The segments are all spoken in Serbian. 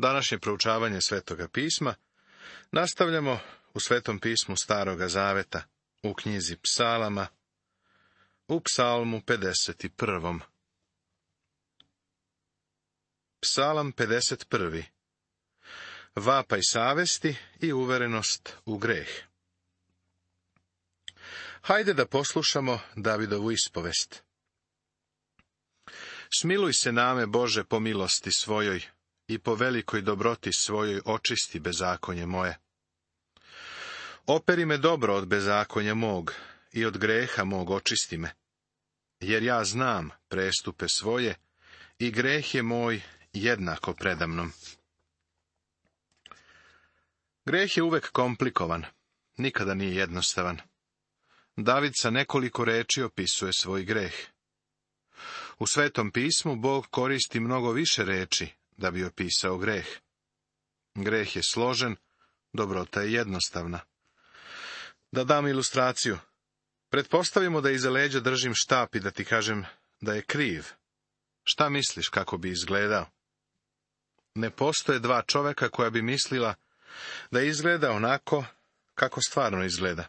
Današnje proučavanje Svetoga pisma nastavljamo u Svetom pismu Staroga zaveta, u knjizi Psalama, u Psalmu 51. Psalam 51. Vapaj savesti i uverenost u greh. Hajde da poslušamo Davidovu ispovest. Smiluj se name, Bože, po milosti svojoj i po velikoj dobroti svojoj očisti bezakonje moje. Operi me dobro od bezakonja mog i od greha mog očisti me, jer ja znam prestupe svoje i greh je moj jednako predamnom. Greh je uvek komplikovan, nikada nije jednostavan. David sa nekoliko reči opisuje svoj greh. U Svetom pismu Bog koristi mnogo više reči da bi opisao greh. Greh je složen, dobrota je jednostavna. Da dam ilustraciju. Pretpostavimo da iza leđa držim štap i da ti kažem da je kriv. Šta misliš kako bi izgledao? Ne postoje dva čoveka koja bi mislila da izgleda onako kako stvarno izgleda.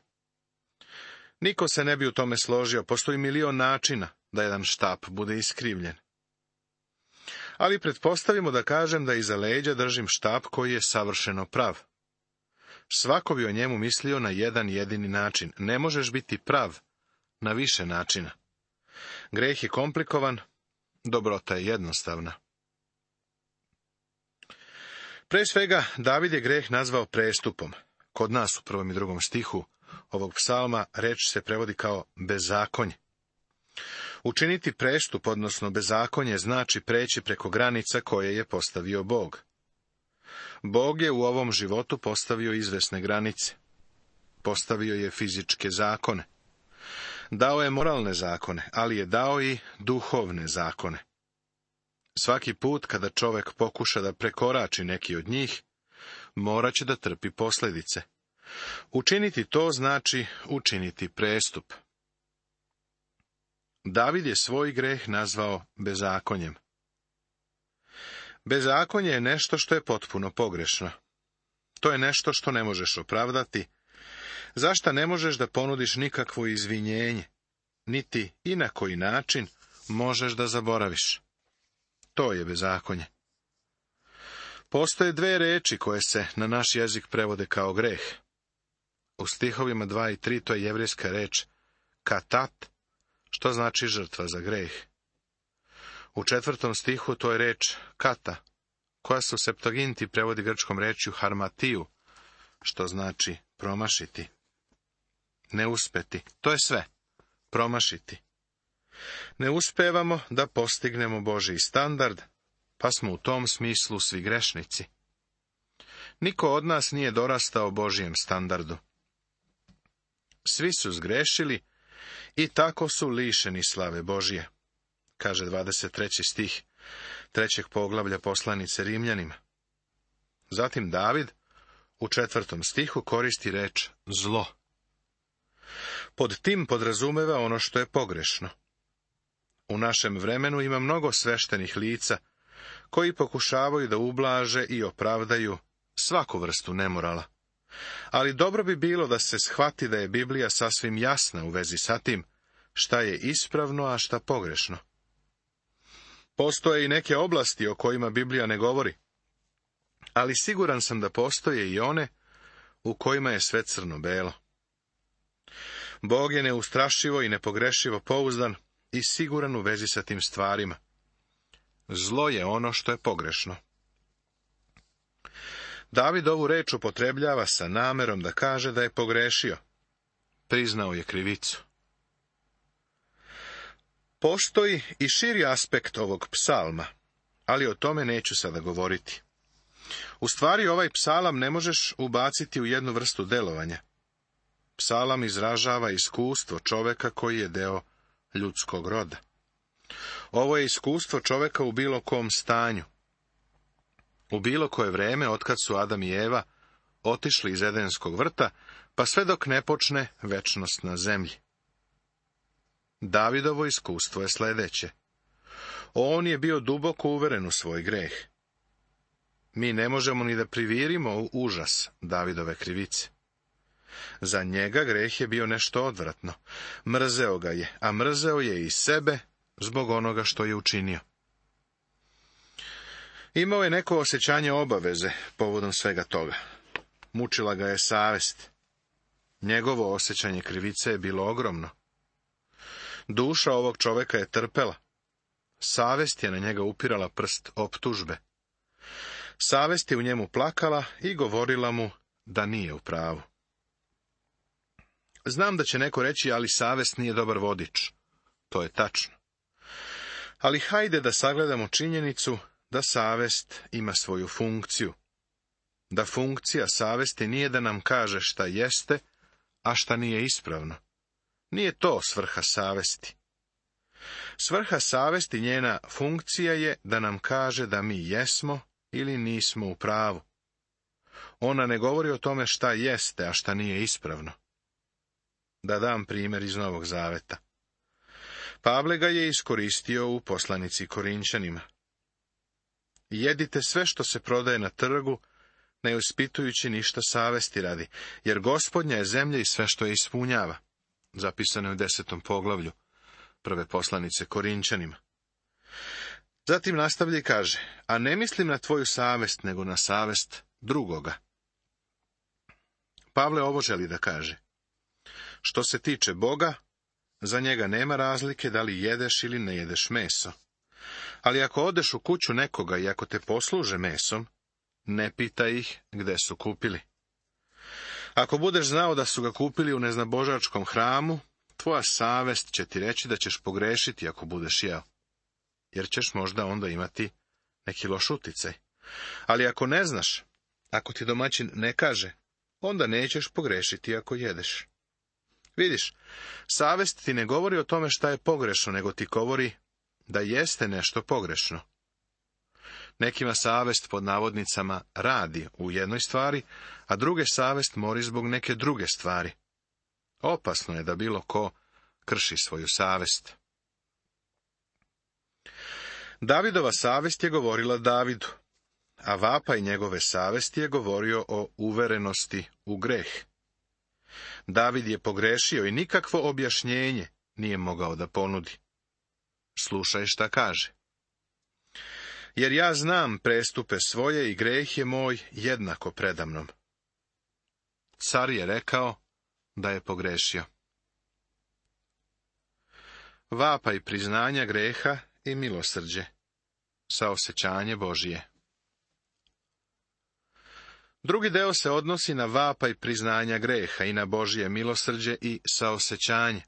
Niko se ne bi u tome složio, postoji milion načina da jedan štap bude iskrivljen. Ali pretpostavimo da kažem da iza leđa držim štap koji je savršeno prav. Svako bi o njemu mislio na jedan jedini način. Ne možeš biti prav na više načina. Greh je komplikovan, dobrota je jednostavna. Pre svega, David je greh nazvao prestupom. Kod nas u 1. i 2. stihu ovog psalma reč se prevodi kao bezakonje. Učiniti prestup, odnosno bezakonje, znači preći preko granica koje je postavio Bog. Bog je u ovom životu postavio izvesne granice. Postavio je fizičke zakone. Dao je moralne zakone, ali je dao i duhovne zakone. Svaki put kada čovek pokuša da prekorači neki od njih, morat će da trpi posljedice. Učiniti to znači učiniti prestup. David je svoj greh nazvao bezakonjem. Bezakonje je nešto što je potpuno pogrešno. To je nešto što ne možeš opravdati, zašta ne možeš da ponudiš nikakvo izvinjenje, niti i na koji način možeš da zaboraviš. To je bezakonje. Postoje dve reči koje se na naš jezik prevode kao greh. U stihovima 2 i 3 to je jevrejska reč katat, što znači žrtva za greh. U 4. stihu to je reč kata, koja se u Septuaginti prevodi grčkom rečju harmatiju, što znači promašiti. Ne uspeti, to je sve, promašiti. Ne uspevamo da postignemo Božji standard, pa smo u tom smislu svi grešnici. Niko od nas nije dorastao Božjem standardu. Svi su zgrešili i tako su lišeni slave Božje, kaže 23. stih 3. poglavlja poslanice Rimljanima. Zatim David u 4. stihu koristi reč zlo. Pod tim podrazumeva ono što je pogrešno. U našem vremenu ima mnogo sveštenih lica koji pokušavaju da ublaže i opravdaju svaku vrstu nemorala. Ali dobro bi bilo da se shvati da je Biblija sasvim jasna u vezi sa tim šta je ispravno, a šta pogrešno. Postoje i neke oblasti o kojima Biblija ne govori, ali siguran sam da postoje i one u kojima je sve crno-belo. Bog je neustrašivo i nepogrešivo pouzdan i siguran u vezi sa tim stvarima. Zlo je ono što je pogrešno. David ovu reč upotrebljava sa namerom da kaže da je pogrešio. Priznao je krivicu. Postoji i širi aspekt ovog psalma, ali o tome neću sada govoriti. U stvari, ovaj psalam ne možeš ubaciti u jednu vrstu delovanja. Psalam izražava iskustvo čoveka koji je deo ljudskog roda. Ovo je iskustvo čoveka u bilo kom stanju. U bilo koje vreme, otkad su Adam i Eva otišli iz Edenskog vrta, pa sve dok ne počne večnost na zemlji. Davidovo iskustvo je sledeće. On je bio duboko uveren u svoj greh. mi ne možemo ni da privirimo u užas Davidove krivice. Za njega greh je bio nešto odvratno. Mrzeo ga je, a mrzeo je i sebe zbog onoga što je učinio. Imao je neko osjećanje obaveze povodom svega toga. Mučila ga je savest. Njegovo osjećanje krivice je bilo ogromno. Duša ovog čoveka je trpela. Savest je na njega upirala prst optužbe. Savest je u njemu plakala i govorila mu da nije u pravu. Znam da će neko reći, ali savest nije dobar vodič. To je tačno. Ali hajde da sagledamo činjenicu da savest ima svoju funkciju. Da funkcija savesti nije da nam kaže šta jeste, a šta nije ispravno. Nije to svrha savesti. Svrha savesti, njena funkcija je da nam kaže da mi jesmo ili nismo u pravu. Ona ne govori o tome šta jeste, a šta nije ispravno. Da dam primjer iz Novog Zaveta. Pavle ga je iskoristio u poslanici Korinćanima. Jedite sve što se prodaje na trgu, ne ispitujući ništa savesti radi, jer Gospodnja je zemlja i sve što je ispunjava. Zapisano je u 10. poglavlju prve poslanice Korinćanima. Zatim nastavlja i kaže, a ne mislim na tvoju savest, nego na savest drugoga. Pavle ovo želi da kaže. Što se tiče Boga, za njega nema razlike da li jedeš ili ne jedeš meso. Ali ako odeš u kuću nekoga i ako te posluže mesom, ne pitaj ih gde su kupili. Ako budeš znao da su ga kupili u neznabožačkom hramu, tvoja savest će ti reći da ćeš pogrešiti ako budeš jeo, jer ćeš možda onda imati neki loš uticaj. Ali ako ne znaš, ako ti domaćin ne kaže, onda nećeš pogrešiti ako jedeš. Vidiš, savest ti ne govori o tome šta je pogrešno, nego ti govori da jeste nešto pogrešno. Nekima savest pod navodnicama radi u jednoj stvari, a druge savest mori zbog neke druge stvari. Opasno je da bilo ko krši svoju savest. Davidova savest je govorila Davidu, a vapaj njegove savesti je govorio o uverenosti u greh. David je pogrešio i nikakvo objašnjenje nije mogao da ponudi. Slušaj šta kaže. Jer ja znam prestupe svoje i greh je moj jednako predamnom. Car je rekao da je pogrešio. Vapaj priznanja greha i milosrđe, saosećanje Božije. Drugi deo se odnosi na vapaj priznanja greha i na Božije milosrđe i saosećanje.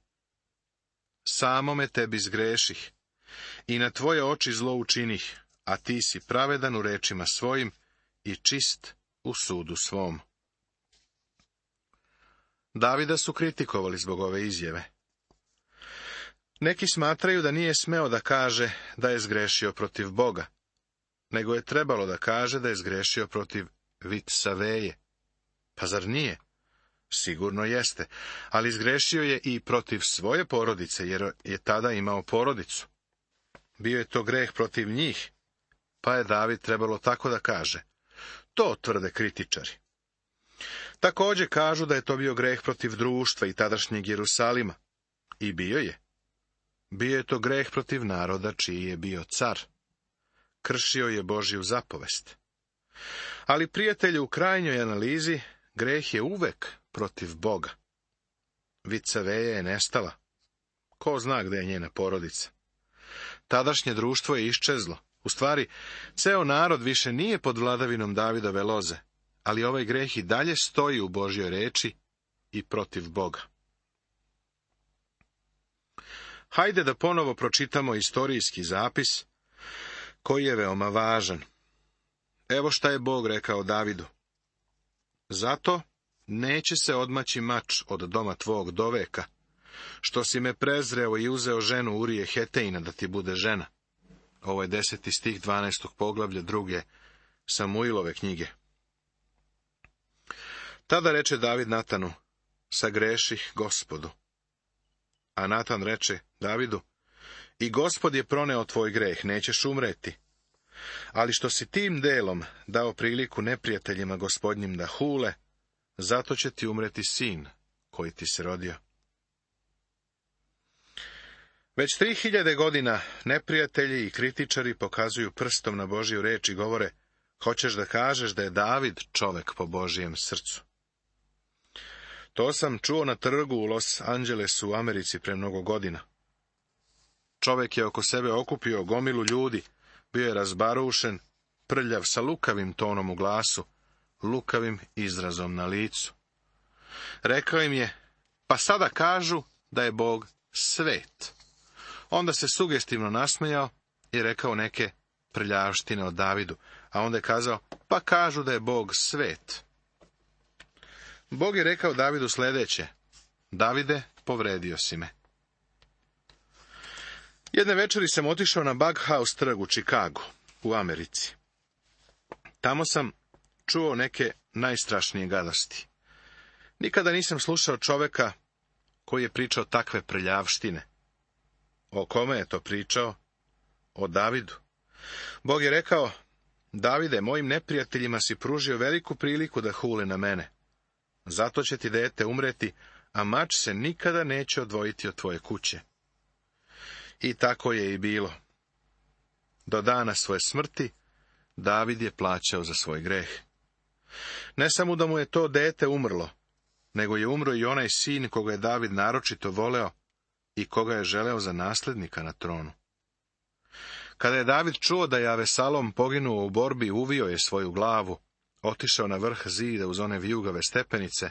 Samome tebi zgreših i na tvoje oči zlo učinih, a ti si pravedan u rečima svojim i čist u sudu svom. Davida su kritikovali zbog ove izjave. Neki smatraju da nije smeo da kaže da je zgrešio protiv Boga, nego je trebalo da kaže da je zgrešio protiv Vitsaveje. Pa zar nije? Sigurno jeste, ali zgrešio je i protiv svoje porodice, jer je tada imao porodicu. Bio je to greh protiv njih, pa je David trebalo tako da kaže. To tvrde kritičari. Također kažu da je to bio greh protiv društva i tadašnjeg Jerusalima. I bio je. Bio je to greh protiv naroda čiji je bio car. Kršio je Božju zapovest. Ali, prijatelju, u krajnjoj analizi, greh je uvek protiv Boga. Vitsaveja je nestala. Ko zna gde je njena porodica? Tadašnje društvo je iščezlo. U stvari, ceo narod više nije pod vladavinom Davidove loze, ali ovaj greh i dalje stoji u Božjoj reči i protiv Boga. Hajde da ponovo pročitamo istorijski zapis, koji je veoma važan. Evo šta je Bog rekao Davidu. Zato neće se odmaći mač od doma tvog doveka, što si me prezreo i uzeo ženu Urije Hetejina da ti bude žena. Ovo je 10. stih 12. poglavlja 2. Samuilove knjige. Tada reče David Natanu, sagreših Gospodu. A Natan reče Davidu, i Gospod je proneo tvoj greh, nećeš umreti. Ali što si tim delom dao priliku neprijateljima Gospodnjim da hule, zato će ti umreti sin koji ti se rodio. Već 3000 godina neprijatelji i kritičari pokazuju prstom na Božju reč i govore: hoćeš da kažeš da je David čovek po Božijem srcu? To sam čuo na trgu u Los Angelesu u Americi pre mnogo godina. Čovek je oko sebe okupio gomilu ljudi, bio je razbarušen, prljav, sa lukavim tonom u glasu, lukavim izrazom na licu. Rekao im je: pa sada kažu da je Bog svet. Onda se sugestivno nasmejao i rekao neke prljavštine o Davidu, a onda je kazao: pa kažu da je Bog svet. Bog je rekao Davidu sledeće: Davide, povredio si me. Jedne večeri sam otišao na Bughouse trg u Čikagu, u Americi. Tamo sam čuo neke najstrašnije gadosti. Nikada nisam slušao čoveka koji je pričao takve prljavštine. O kome je to pričao? O Davidu. Bog je rekao: Davide, mojim neprijateljima si pružio veliku priliku da hule na mene. Zato će ti dete umreti, a mač se nikada neće odvojiti od tvoje kuće. I tako je i bilo. Do dana svoje smrti David je plaćao za svoj greh. Ne samo da mu je to dete umrlo, nego je umro i onaj sin koga je David naročito voleo i koga je želeo za naslednika na tronu. Kada je David čuo da je Avesalom poginuo u borbi, uvio je svoju glavu, otišao na vrh zida uz one vijugave stepenice,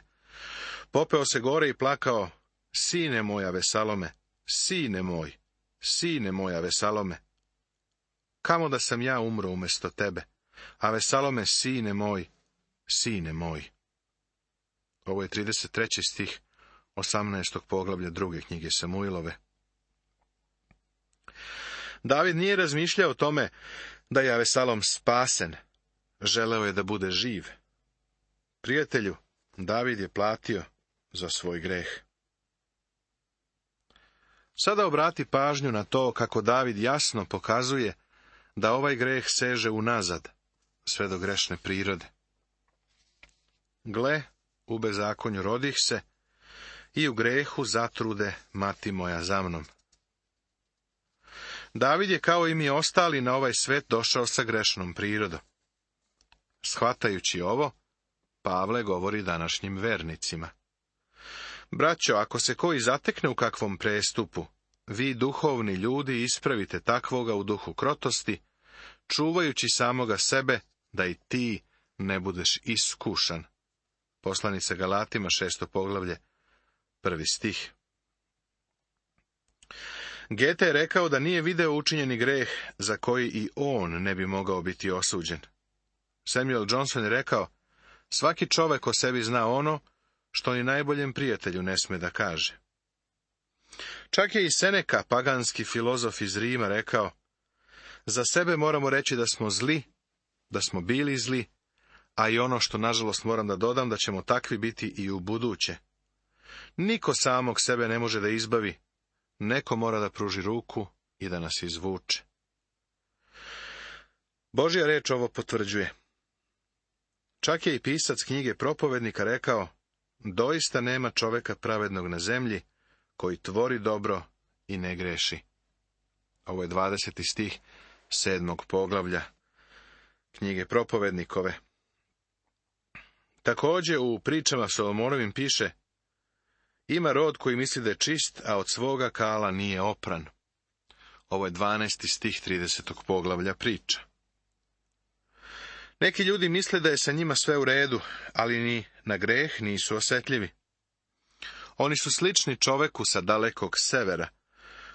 popeo se gore i plakao: sine moj Avesalome, sine moj Avesalome, kamo da sam ja umro umjesto tebe, Avesalome, sine moj, sine moj. Ovo je 33. stih 18. poglavlja 2. knjige Samuilove. David nije razmišljao o tome da je Avesalom spasen, želeo je da bude živ. Prijatelju, David je platio za svoj greh. Sada obrati pažnju na to kako David jasno pokazuje da ovaj greh seže unazad, sve do grešne prirode. Gle, u bezakonju rodih se, i u grehu zatrude mati moja za mnom. David je kao i mi ostali na ovaj svet došao sa grešnom prirodom. Shvatajući ovo, Pavle govori današnjim vernicima: braćo, ako se koji zatekne u kakvom prestupu, vi duhovni ljudi ispravite takvoga u duhu krotosti, čuvajući samoga sebe, da i ti ne budeš iskušan. Poslanica Galatima, 6. poglavlje, 1. stih. Gete je rekao da nije video učinjeni greh za koji i on ne bi mogao biti osuđen. Samuel Johnson je rekao: svaki čovek o sebi zna ono što ni najboljem prijatelju ne sme da kaže. Čak je i Seneka, paganski filozof iz Rima, rekao: za sebe moramo reći da smo zli, da smo bili zli, a i ono što nažalost moram da dodam, da ćemo takvi biti i u buduće. Niko samog sebe ne može da izbavi, neko mora da pruži ruku i da nas izvuče. Božja reč ovo potvrđuje. Čak je i pisac knjige Propovednika rekao: doista nema čoveka pravednog na zemlji, koji tvori dobro i ne greši. Ovo je 20. stih 7. poglavlja knjige Propovednikove. Također u pričama Solomonovim piše: ima rod koji misli da je čist, a od svoga kala nije opran. Ovo je 12. stih 30. poglavlja priča. Neki ljudi misle da je sa njima sve u redu, ali ni na greh nisu osjetljivi. Oni su slični čoveku sa dalekog severa,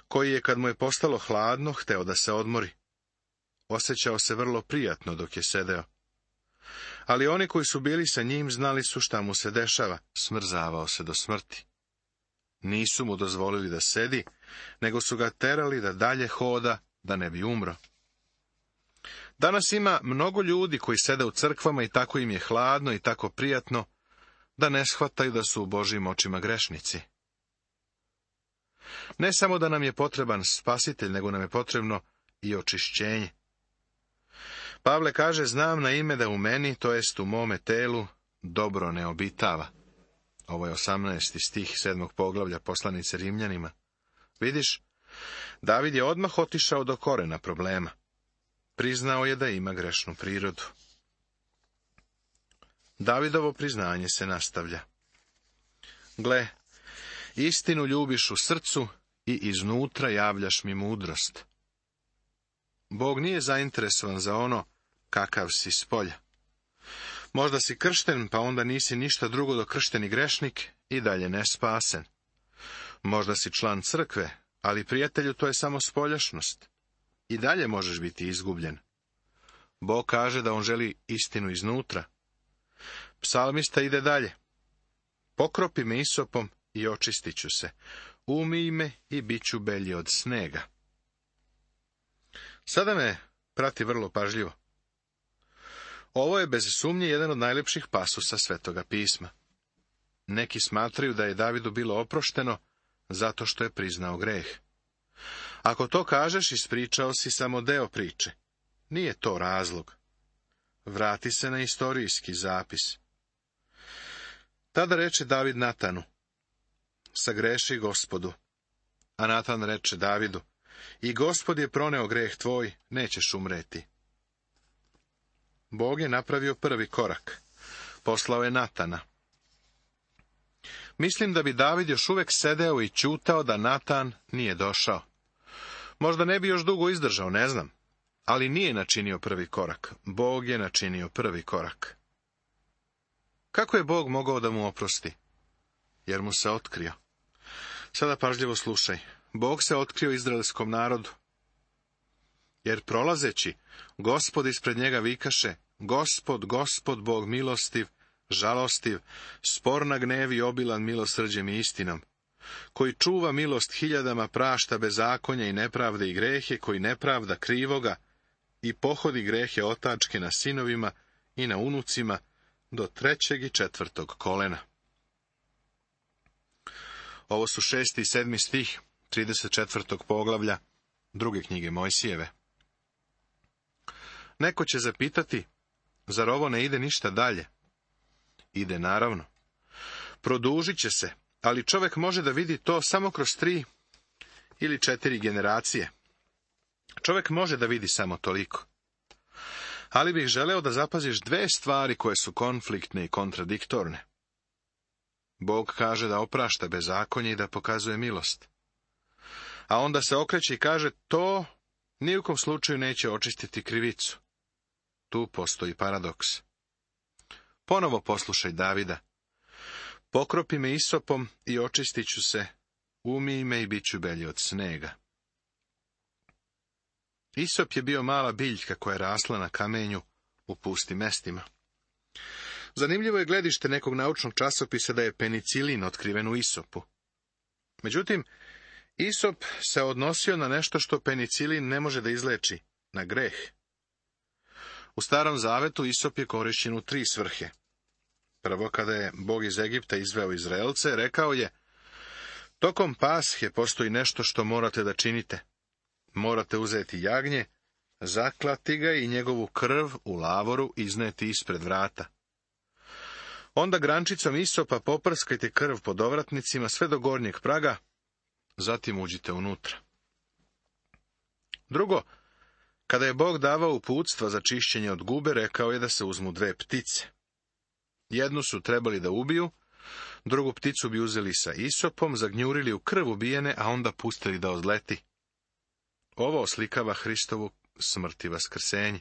koji je, kad mu je postalo hladno, hteo da se odmori. Osjećao se vrlo prijatno dok je sedeo. Ali oni koji su bili sa njim znali su šta mu se dešava, smrzavao se do smrti. Nisu mu dozvolili da sedi, nego su ga terali da dalje hoda, da ne bi umro. Danas ima mnogo ljudi koji sede u crkvama i tako im je hladno i tako prijatno, da ne shvataju da su u Božjim očima grešnici. Ne samo da nam je potreban spasitelj, nego nam je potrebno i očišćenje. Pavle kaže, znam na ime da u meni, to jest u mome telu, dobro ne obitava. Ovo je 18. stih 7. poglavlja poslanice Rimljanima. Vidiš, David je odmah otišao do korena problema. Priznao je da ima grešnu prirodu. Davidovo priznanje se nastavlja. Gle, istinu ljubiš u srcu i iznutra javljaš mi mudrost. Bog nije zainteresovan za ono kakav si spolja. Možda si kršten, pa onda nisi ništa drugo do kršteni grešnik i dalje nespasen. Možda si član crkve, ali prijatelju to je samo spoljašnost. I dalje možeš biti izgubljen. Bog kaže da on želi istinu iznutra. Psalmista ide dalje. Pokropi me isopom i očistit ću se. Umij me i bit ću belji od snega. Sada me prati vrlo pažljivo. Ovo je bez sumnje jedan od najlepših pasusa Svetoga pisma. Neki smatraju da je Davidu bilo oprošteno zato što je priznao greh. Ako to kažeš, ispričao si samo deo priče. Nije to razlog. Vrati se na istorijski zapis. Tada reče David Natanu, sagreši Gospodu. A Natan reče Davidu, i Gospod je proneo greh tvoj, nećeš umreti. Bog je napravio prvi korak. Poslao je Natana. Mislim da bi David još uvek sedeo i ćutao da Natan nije došao. Možda ne bi još dugo izdržao, ne znam. Ali nije načinio prvi korak. Bog je načinio prvi korak. Kako je Bog mogao da mu oprosti? Jer mu se otkrio. Sada pažljivo slušaj. Bog se otkrio izraelskom narodu. Jer prolazeći, Gospod ispred njega vikaše, Gospod, Gospod, Bog milostiv, žalostiv, spor na gnev i obilan milosrđem i istinom, koji čuva milost hiljadama, prašta bezakonja i nepravde i grehe, koji nepravda krivoga i pohodi grehe otačke na sinovima i na unucima do 3. i 4. kolena. Ovo su 6. i 7. stih 34. poglavlja 2. knjige Mojsijeve. Neko će zapitati, zar ovo ne ide ništa dalje? Ide, naravno. Produžit će se, ali čovjek može da vidi to samo kroz 3 ili 4 generacije. Čovjek može da vidi samo toliko. Ali bih želeo da zapaziš 2 stvari koje su konfliktne i kontradiktorne. Bog kaže da oprašta bezakonje i da pokazuje milost. A onda se okreće i kaže, to ni u kom slučaju neće očistiti krivicu. Tu postoji paradoks. Ponovo poslušaj Davida. Pokropi me isopom i očistit ću se, umij me i bit ću belji od snega. Isop je bio mala biljka koja je rasla na kamenju u pustim mestima. Zanimljivo je gledište nekog naučnog časopisa da je penicilin otkriven u isopu. Međutim, isop se odnosio na nešto što penicilin ne može da izleči, na greh. U Starom zavetu isop je korišćen u 3 svrhe. Prvo, kada je Bog iz Egipta izveo Izraelce, rekao je, tokom Pashe postoji nešto što morate da činite. Morate uzeti jagnje, zaklati ga i njegovu krv u lavoru izneti ispred vrata. Onda grančicom isopa poprskajte krv pod ovratnicima sve do gornjeg praga, zatim uđite unutra. Drugo, kada je Bog davao uputstva za čišćenje od gube, rekao je da se uzmu 2 ptice. Jednu su trebali da ubiju, drugu pticu bi uzeli sa isopom, zagnjurili u krv ubijene, a onda pustili da odleti. Ovo oslikava Hristovu smrt i vaskrsenje.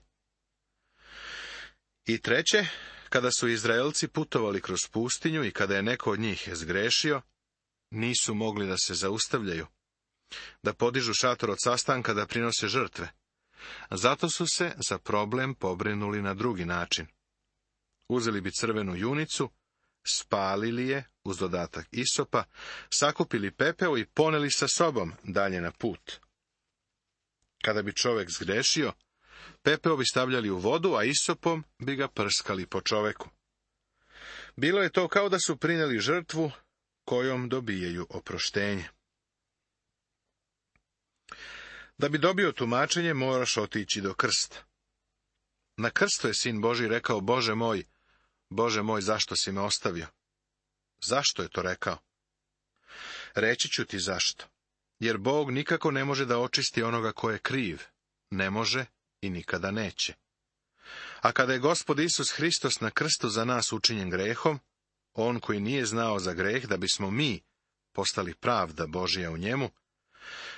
I treće, kada su Izraelci putovali kroz pustinju i kada je neko od njih zgrešio, nisu mogli da se zaustavljaju, da podižu šator od sastanka, da prinose žrtve. Zato su se za problem pobrinuli na drugi način. Uzeli bi crvenu junicu, spalili je uz dodatak isopa, sakupili pepeo i poneli sa sobom dalje na put. Kada bi čovjek zgrešio, pepeo bi stavljali u vodu, a isopom bi ga prskali po čoveku. Bilo je to kao da su prineli žrtvu kojom dobijaju oproštenje. Da bi dobio tumačenje, moraš otići do krsta. Na krstu je Sin Božji rekao, Bože moj, zašto si me ostavio? Zašto je to rekao? Reći ću ti zašto. Jer Bog nikako ne može da očisti onoga ko je kriv. Ne može i nikada neće. A kada je Gospod Isus Hristos na krstu za nas učinjen grehom, on koji nije znao za greh, da bismo mi postali pravda Božija u njemu,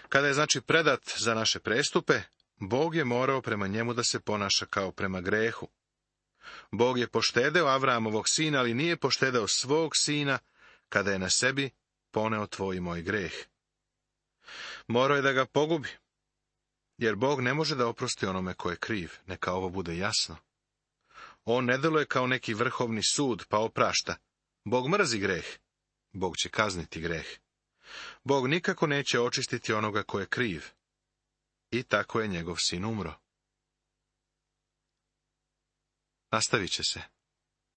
kada je znači predat za naše prestupe, Bog je morao prema njemu da se ponaša kao prema grehu. Bog je poštedeo Avramovog sina, ali nije poštedeo svog sina, kada je na sebi poneo tvoj i moj greh. Morao je da ga pogubi, jer Bog ne može da oprosti onome ko je kriv, neka ovo bude jasno. On ne deluje kao neki vrhovni sud, pa oprašta. Bog mrzi greh, Bog će kazniti greh. Bog nikako neće očistiti onoga ko je kriv. I tako je njegov sin umro. Nastavit će se.